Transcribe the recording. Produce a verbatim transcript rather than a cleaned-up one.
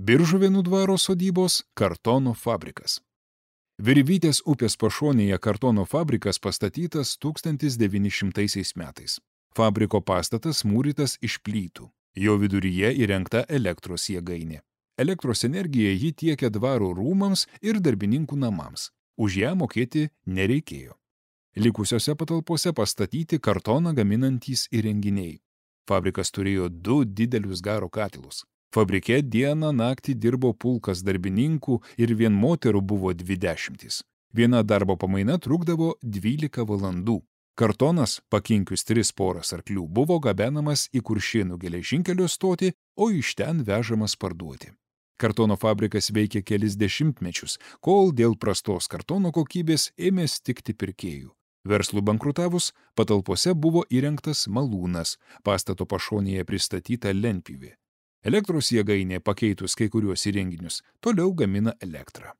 Biržuvėnų dvaro sodybos kartono fabrikas. Virvytės upės pašonėje kartono fabrikas pastatytas tūkstantis devyni šimtaisiais metais. Fabriko pastatas mūrytas iš plytų. Jo viduryje įrengta elektros jėgainė. Elektros energiją ji tiekia dvaro rūmams ir darbininkų namams. Už ją mokėti nereikėjo. Likusiose patalpose pastatyti kartoną gaminantys įrenginiai. Fabrikas turėjo du didelius garo katilus. Fabrike dieną naktį dirbo pulkas darbininkų ir vien moterų buvo dvidešimtys. Viena darbo pamaina trukdavo dvylika valandų. Kartonas, pakinkius tris poras arklių, buvo gabenamas į Kuršėnų geležinkelio stotį, o iš ten vežamas parduoti. Kartono fabrikas veikė kelis dešimtmečius, kol dėl prastos kartono kokybės ėmė stigti pirkėjų. Verslui bankrutavus, patalpose buvo įrengtas malūnas, pastato pašonėje pristatyta lentpjūvė. Elektros jėgainė, pakeitus kai kuriuos įrenginius, toliau gamina elektrą.